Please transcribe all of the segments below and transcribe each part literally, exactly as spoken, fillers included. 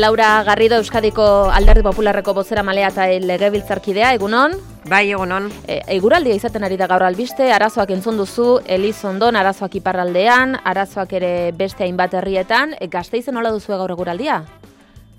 Laura Garrido, Euskadiko Alderdi Popularreko bozeramailea eta legebiltzarkidea, egunon? Bai, egunon. E, eguraldia izaten ari da gaur albiste, arazoak entzun duzu, Elizondon, arazoak iparraldean, arazoak ere beste hainbat herrietan, e, Gasteizen nola duzu gaur eguraldia?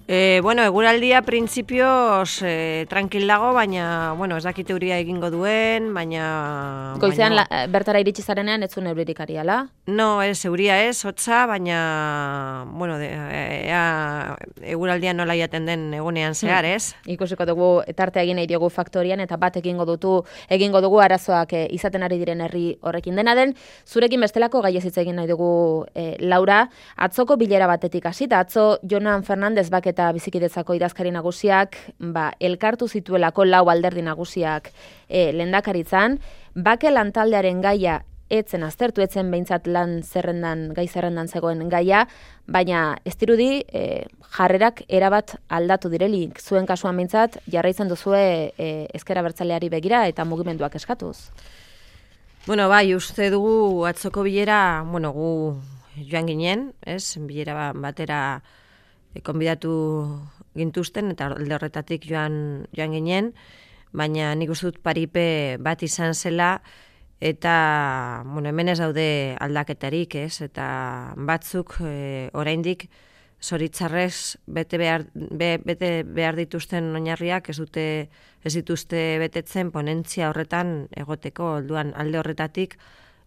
E, bueno, eguraldia printzipioz e, tranquil dago, baina, bueno, ez dakit euria egingo duen, baina... Goizean baina... la, bertara iritsi zarenean ez zuen euririk ariala? No, ez, euria ez, hotza, baina, bueno, de, ea, eguraldia nola jaten den egunean zehar, ez? Hmm. Ikusiko dugu tartea egin nahi diogu faktorian, eta bat egingo dutu, egingo dugu arazoak e, izaten ari diren herri horrekin dena den. Zurekin bestelako gai ez hitz egin nahi dugu e, Laura, atzoko bilera batetik hasita, atzo Jonan Fernandez bak eta bizikidetzako idazkari nagusiak, ba, elkartu zituelako lau alderdi nagusiak e, lehendakaritzan, bake lantaldearen gaia etzen aztertu, etzen behintzat lan zerrendan, gai zerrendan zegoen gaia, baina ez dirudi e, jarrerak erabat aldatu direlik. Zuen kasuan behintzat, jarraitzen duzue e, ezker abertzaleari begira eta mugimenduak eskatuz. Bueno, bai, uste dugu atzoko bilera, bueno, gu joan ginen, ez, bilera batera konbidatu gintuzten eta alde horretatik joan, joan ginen, baina nik uste dut paripe bat izan zela eta bueno, hemen ez daude aldaketarik, ez? Eta batzuk e, oraindik zoritzarrez bete behar, be, bete behar dituzten oinarriak ez dute ez dituzte betetzen ponentzia horretan egoteko, orduan alde horretatik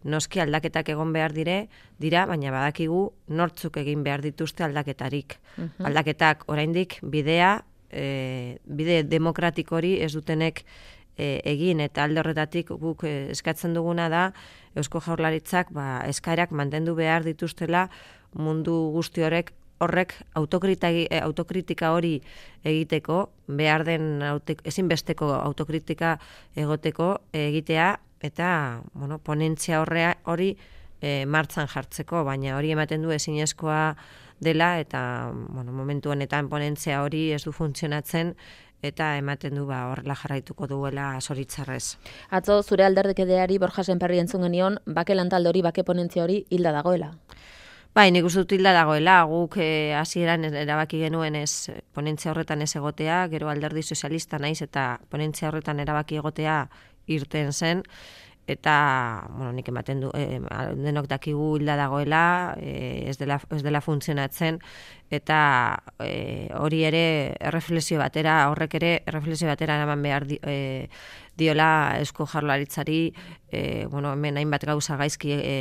noski aldaketak egon behar dire, dira, baina badakigu nortzuk egin behar dituzte aldaketarik. Uh-huh. Aldaketak oraindik bidea, e, bide demokratiko hori ez dutenek e, egin, eta alde horretatik guk e, eskatzen duguna da Eusko Jaurlaritzak ba, eskaerak mantendu behar dituztela mundu guzti horrek horrek autokritika, autokritika hori egiteko, behar den ezinbesteko autokritika egoteko egitea, eta bueno, ponentzia horrea hori e, martxan jartzeko, baina hori ematen du ezinezkoa dela, eta bueno, momentu honetan ponentzia hori ez du funtzionatzen, eta ematen du ba, horrela jarraituko duela zoritzarrez. Atzo zure alderdikideari Borja Sémperri entzun genion, bake lantalde hori, bake ponentzia hori hilda dagoela. Bai, nik uste dut hilda dagoela, guk hasieran e, erabaki genuen ez ponentzia horretan ez egotea, gero alderdi sozialista naiz eta ponentzia horretan erabaki egotea irten zen, eta bueno, nik ematen du, e, denok dakigu hilda dagoela, e, ez, dela, ez dela funtzionatzen, eta e, hori ere erreflexio batera, horrek ere erreflexio batera eraman behar di, e, diola Eusko Jaurlaritzari, e, bueno, hemen hainbat gauza gaizki e,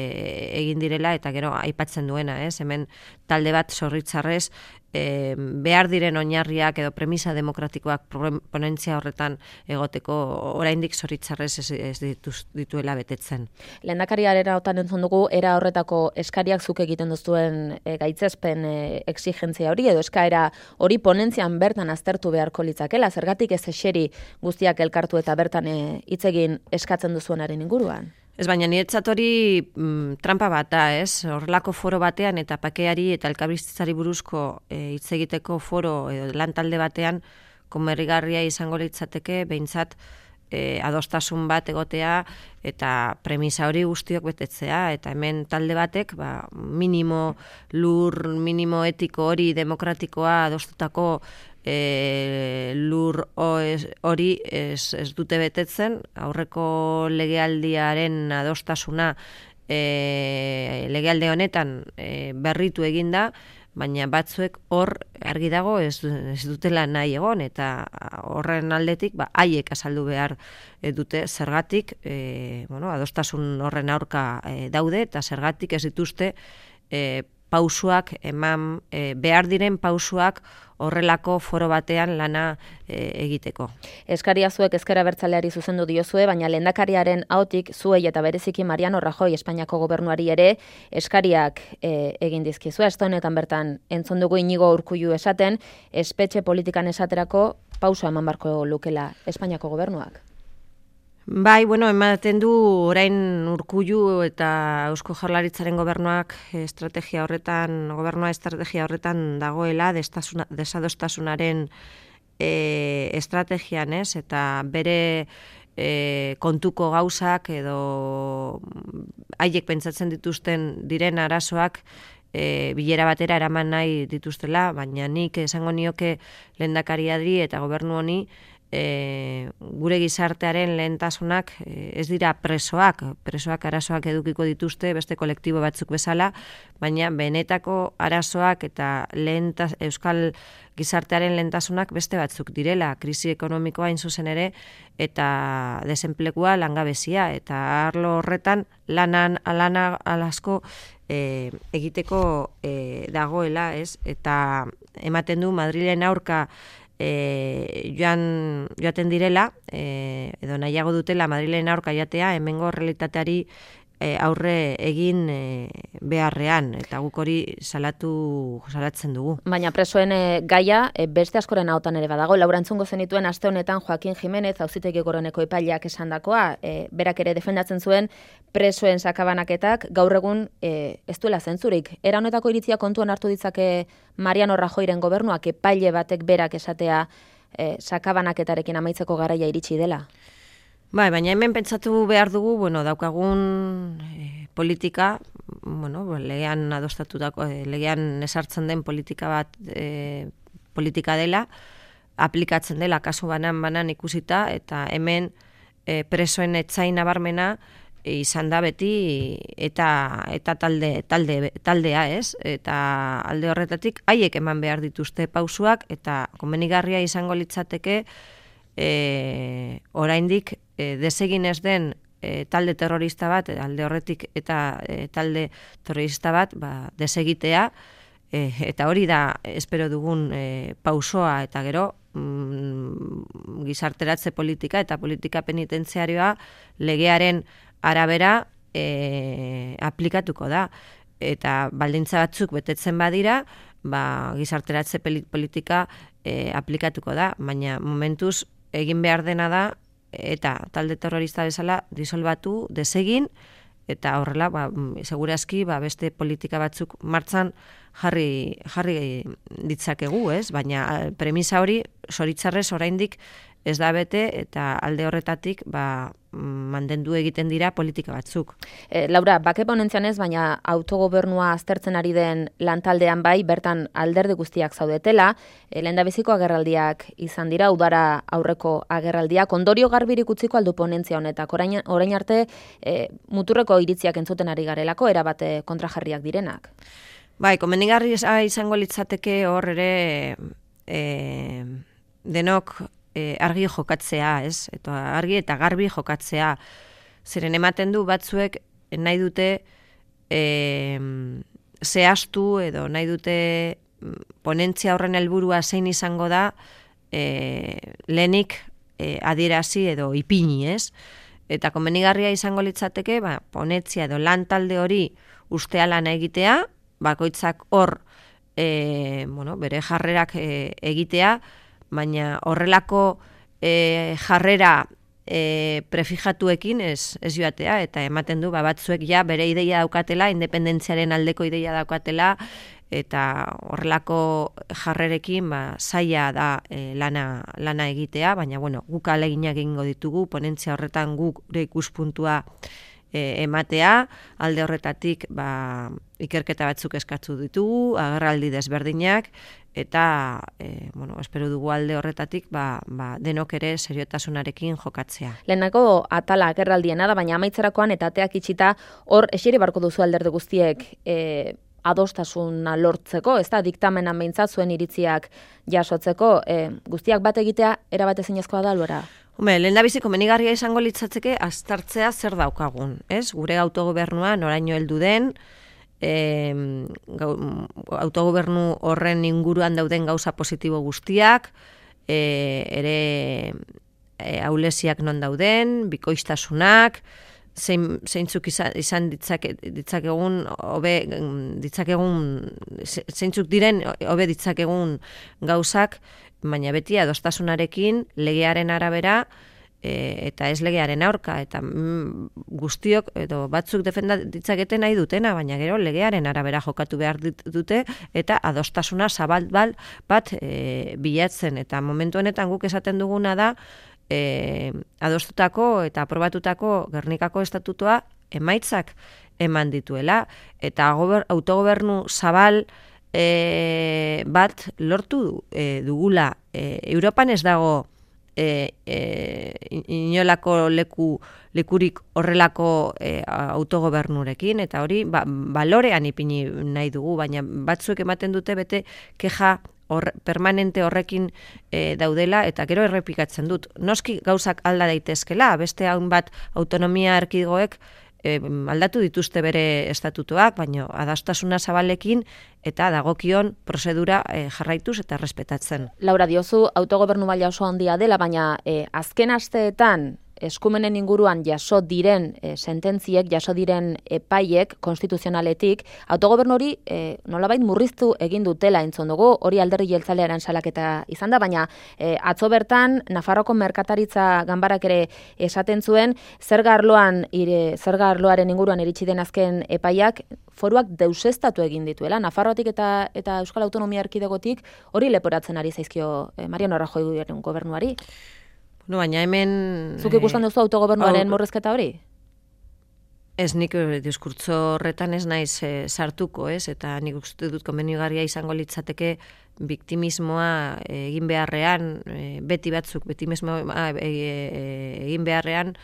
egin direla, eta gero aipatzen duena, ez? Hemen talde bat zorritzarrez e, behar diren oinarriak edo premisa demokratikoak ponentzia horretan egoteko oraindik zorritzarrez ez, ez dituz, dituela betetzen. Lehendakariaren hautan entzun dugu, era horretako eskariak zuk egiten duzuen e, gaitzespen e, exigentzia hori, edo eskaera hori ponentzian bertan aztertu beharko litzakela, zergatik ez eseri guztiak elkartu eta bertan hitz egin eskatzen duzuenaren inguruan? Ez, baina niretzat hori mm, trampa bat da, ez? Horrelako foro batean eta pakeari eta elkarbizitzari buruzko hitz e, egiteko foro edo lan talde batean komerigarria izango litzateke behintzat e, adostasun bat egotea eta premisa hori guztiok betetzea, eta hemen talde batek ba, minimo lur, minimo etiko hori demokratikoa adostutako E, lur hori ez, ez dute betetzen, aurreko legealdiaren adostasuna e, legealde honetan e, berritu eginda, baina batzuek hor argi dago ez, ez dutela nahi egon, eta horren aldetik ba, haiek azaldu behar e, dute zergatik e, bueno, adostasun horren aurka e, daude, eta zergatik ez dituzte e, pausuak eman, e, behar diren pausuak horrelako foro batean lana e, egiteko. Eskaria zuek ezker abertzaleari zuzendu diozue, baina lehendakariaren ahotik zuei eta bereziki Mariano Rajoy Espainiako gobernuari ere eskariak e, egin dizkizue. Aste honetan bertan entzun dugu Inigo Urkullu esaten, espetxe politikan esaterako pausa eman barko lukela Espainiako gobernuak. Bai, bueno, ematen du orain Urkullu eta Eusko Jaurlaritzaren gobernuak estrategia horretan, gobernua estrategia horretan dagoela, desadostasunaren e, estrategian, ez? Eta bere e, kontuko gauzak edo haiek pentsatzen dituzten diren arazoak e, bilera batera eraman nahi dituztela, baina nik esango nioke lehendakariari eta gobernu honi E, gure gizartearen lehentasunak e, ez dira presoak, presoak arazoak edukiko dituzte beste kolektibo batzuk bezala, baina benetako arazoak eta lehentas, euskal gizartearen lehentasunak beste batzuk direla, krisi ekonomikoa hain zuzen ere eta desenplegua langabezia, eta arlo horretan lanan alana alasko e, egiteko e, dagoela, ez? Eta ematen du Madrilen aurka E, joan, joaten direla, e, edo nahiago dutela Madrilen aurka jatea, hemengo realitateari e, aurre egin e, beharrean, eta guk hori salatu salatzen dugu. Baina presoen e, gaia e, beste askoren hautan ere badago. Laura entzungo zenituen aste honetan Joaquin Jimenez, Auzitegi Goreneko epaileak esandakoa, e, berak ere defendatzen zuen presoen sakabanaketak gaur egun e, ez duela zentzurik. Era honetako iritzia kontuan hartu ditzake Mariano Rajoyren gobernuak epaile batek berak esatea e, sakabanaketarekin amaitzeko garaia iritsi dela? Bai, baina hemen pentsatu behar dugu, bueno, daukagun e, politika, bueno, legean adostatutako, e, legean esartzen den politika bat e, politika dela, aplikatzen dela kasu banan-banan ikusita, eta hemen e, presoen etzain nabarmena izan da beti eta eta talde talde taldea, ez? Eta alde horretatik haiek eman behar dituzte pausuak, eta komenigarria izango litzateke e, oraindik e, desegin ez den e, talde terrorista bat alde horretik eta e, talde terrorista bat ba, desegitea, e, eta hori da espero dugun e, pausoa, eta gero mm, gizarteratze politika eta politika penitentziarioa legearen arabera e, aplikatuko da, eta baldintza batzuk betetzen badira, ba, gizarteratze politika e, aplikatuko da, baina momentuz egin behar dena da, eta talde terrorista bezala disolbatu, desegin, eta horrela, ba, segurazki, ba, beste politika batzuk martzan jarri, jarri ditzakegu, ez? Baina premisa hori, zoritzarrez oraindik ez da bete, eta alde horretatik ba, mantendu egiten dira politika batzuk. E, Laura, bake ponentzian ez, baina autogobernua aztertzen ari den lantaldean bai, bertan alderdi guztiak zaudetela, e, lehendabiziko agerraldiak izan dira, udara aurreko agerraldiak, ondorio garbirik utziko aldu ponentzia honetak, orain, orain arte e, muturreko iritziak entzuten ari garelako, erabate kontrajarriak direnak. Bai, komenigarri izango litzateke hor ere e, denok argi jokatzea, ez? Eta argi eta garbi jokatzea. Zeren ematen du batzuek nahi dute e, zehaztu edo nahi dute ponentzia horren helburua zein izango da e, lehenik e, adierazi edo ipini, ez? Eta komenigarria izango litzateke, ba, ponentzia edo lan talde hori ustea lana egitea, bakoitzak hor e, bueno, bere jarrerak e, egitea, baina horrelako e, jarrera e, prefijatuekin ez, ez joatea, eta ematen du ba, batzuek ja bere ideia daukatela, independentziaren aldeko ideia daukatela, eta horrelako jarrerekin ba, zaila da e, lana, lana egitea, baina bueno, guk ahaleginak egingo ditugu, ponentzia horretan guk gure ikuspuntua e, ematea, alde horretatik ba, ikerketa batzuk eskatzu ditugu, agerraldi desberdinak, eta e, bueno, espero dugu alde horretatik ba, ba, denok ere seriotasunarekin jokatzea. Lehenako atala agerraldiena da, baina amaitzerakoan eta ateak itxita hor eseri barko duzu alderdi guztiek e, adostasuna lortzeko, ez da, diktamenan behintzat zuen iritziak jasotzeko, e, guztiak bat egitea erabate zinezkoa da, Laura? Hume, lehen da bizi komenigarria izango litzatzeke aztertzea zer daukagun, ez? Gure autogobernua noraino heldu den, E, gau, autogobernu horren inguruan dauden gauza positibo guztiak, e, ere e, aulesiak non dauden, bikoiztasunak, zein, zeintzuk izan, izan ditzake, ditzakegun, hobe ditzakegun, zeintzuk diren hobe ditzakegun gauzak, baina beti adostasunarekin legearen arabera, E, eta ez legearen aurka, eta mm, guztiok edo batzuk defenda ditzaketen nahi dutena, baina gero legearen arabera jokatu behar dute, eta adostasuna zabal bat e, bilatzen, eta momentu honetan guk esaten duguna da e, adostutako eta aprobatutako Gernikako estatutua emaitzak eman dituela, eta gober, autogobernu zabal e, bat lortu e, dugula. E, Europan ez dago e, e, inolako leku, lekurik horrelako e, autogobernurekin, eta hori ba, balorean ipini nahi dugu, baina batzuek ematen dute bete keja Hor, permanente horrekin e, daudela, eta gero errepikatzen dut. Noski gauzak alda daitezkela, beste haun bat autonomia erkidegoek e, aldatu dituzte bere estatutuak, baina adastasuna zabalekin eta dagokion prozedura e, jarraituz eta respetatzen. Laura, diozu autogobernu maila oso handia dela, baina e, azken asteetan eskumenen inguruan jaso diren e, sententziek, jaso diren epaiek konstituzionaletik, autogobernu hori e, nolabait murriztu egin dutela entzun dugu, hori alderdi jeltzalearen salaketa izan da, baina e, atzo bertan Nafarroko merkataritza ganbarak ere esaten zuen, zerga arloan, ire, zerga arloaren inguruan iritsi den azken epaiak, foruak deusestatu egin dituela, Nafarroatik eta eta Euskal Autonomia Erkidegotik hori leporatzen ari zaizkio e, Mariano Rajoyren gobernuari. No, baina hemen... Zuk ikusten duzu autogobernuaren murrizketa hori? Ez, nik diskurtso horretan ez naiz e, sartuko, ez? Eta nik uste dut komenigarria izango litzateke biktimismoa egin beharrean, e, beti batzuk, biktimismoa e, e, egin beharrean,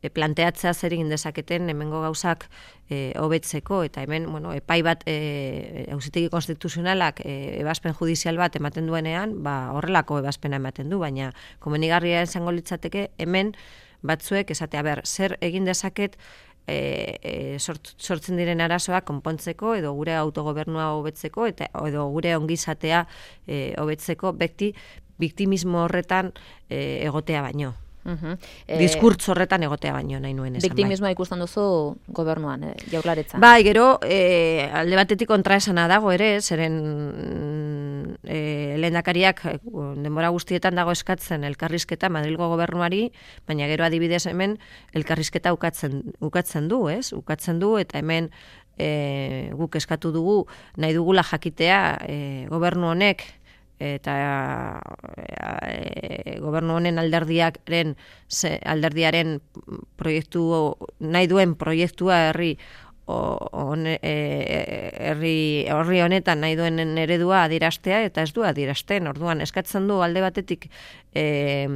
e, planteatzea zer egin dezaketen hemengo gauzak e, hobetzeko, eta hemen, bueno, epai bat e, auzitegi konstituzionalak e, ebazpen judizial bat ematen duenean, ba, horrelako ebazpena ematen du, baina komenigarria izango litzateke hemen batzuek esatea, ber, zer egin dezaket e, e, sort, sortzen diren arazoak konpontzeko, edo gure autogobernua hobetzeko, eta edo gure ongizatea e, hobetzeko, bekti, biktimismo horretan e, egotea baino. Uh-huh. Diskurtso horretan egotea baino nahi nuen esan. Biktimismoa bai. Ikusten duzu gobernuan, eh, jaurlaritza. Bai, gero eh, alde batetik kontraesana dago ere, zeren eh, lehendakariak denbora guztietan dago eskatzen elkarrizketa Madrilgo gobernuari, baina gero adibidez hemen elkarrizketa ukatzen, ukatzen du, ez? Ukatzen du, eta hemen eh, guk eskatu dugu, nahi dugula jakitea eh, gobernu honek, eta e, gobernu honen alderdiaren alderdiaren proiektu nahi duen proiektua herri on, e, herri horri honetan nahi duen eredua adieraztea, eta ez du adierazten. Orduan eskatzen du alde batetik e,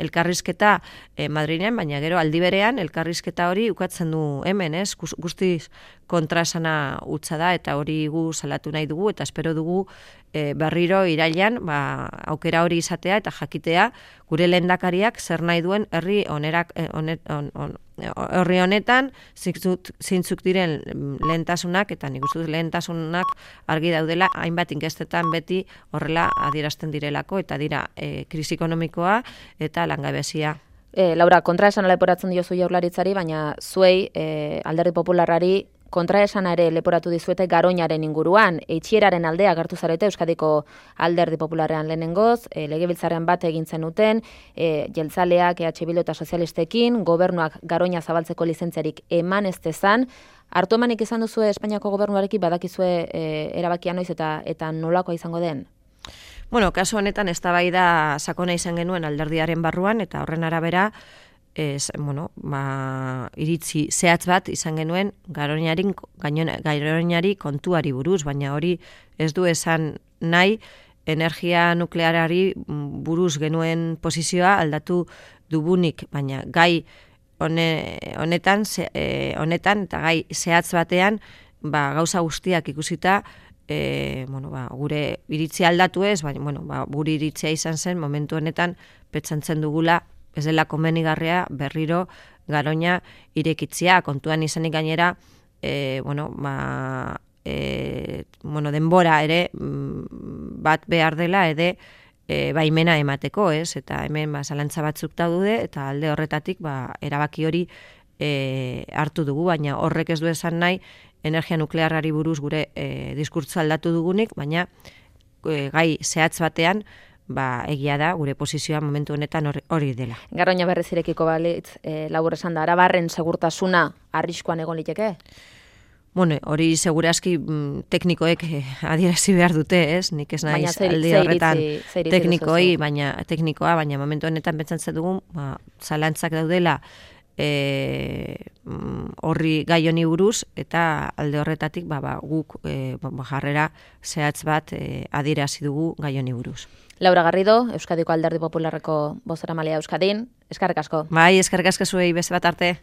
elkarrizketa e, Madrilen, baina gero aldi berean elkarrizketa hori ukatzen du hemen, ez? Guztiz kontrasana utza da, eta hori gu salatu nahi dugu, eta espero dugu e, berriro irailean ba, aukera hori izatea eta jakitea gure lehendakariak zer nahi duen herri onerak, onet, on, on, herri honetan zintzuk, zintzuk diren lehentasunak, eta nik uste dut lehentasunak argi daudela, hainbat inkestetan beti horrela adierazten direlako, eta dira e, krisi ekonomikoa eta langabezia. E, Laura, kontraesan leporatzen diozu jaurlaritzari, baina zuei e, alderdi popularrari kontraesana ere leporatu dizuete Garoñaren inguruan. Eitxieraren aldea agertu zarete Euskadiko alderdi popularrean lehenengoz, e, legebiltzarrean bat egin zenuten, e, jeltzaleak, E H Bildu eta sozialistekin, gobernuak Garoña zabaltzeko lizentziarik eman ez dezan. Hartu emanik izan duzu Espainiako gobernuarekin badakizue e, erabakia noiz eta eta nolakoa izango den? Bueno, kasu honetan eztabaida sakona izan genuen alderdiaren barruan, eta horren arabera Ez, bueno, ba, iritzi zehatz bat izan genuen Garoñarin, Garoñari kontuari buruz, baina hori ez du esan nahi energia nuklearari buruz genuen posizioa aldatu dugunik, baina gai hone, honetan, ze, e, honetan eta gai zehatz batean ba, gauza guztiak ikusita e, bueno, ba, gure iritzi aldatu ez, baina bueno, ba, gure iritzia izan zen momentu honetan petsantzen dugula ez dela komenigarria berriro Garoña irekitzia, kontuan izanik gainera, e, bueno, ba, e, bueno, denbora ere bat behar dela ede e, baimena emateko, ez? Eta hemen ba, zalantza batzuk daude, eta alde horretatik ba, erabaki hori e, hartu dugu, baina horrek ez du esan nahi energia nuklearrari buruz gure e, diskurtza aldatu dugunik, baina e, gai zehatz batean ba, egia da, gure posizioa momentu honetan hori dela. Garoña berriz irekiko balitz, e, labur esan da, Arabarren segurtasuna arriskuan egon liteke? Bueno, hori segurazki mm, teknikoek eh, adierazi behar dute, ez? Nik ez naiz aldi horretan teknikoi, baina teknikoa, baina momentu honetan pentsatzen dugu, ba, zalantzak daudela e, horri gai honi buruz, eta alde horretatik ba, ba, guk e, ba, jarrera zehatz bat e, adierazi dugu gai honi buruz. Laura Garrido, Euskadiko Alderdi Popularreko bozeramailea Euskadin, eskerrik asko. Bai, eskerrik asko zuei, beste bat arte.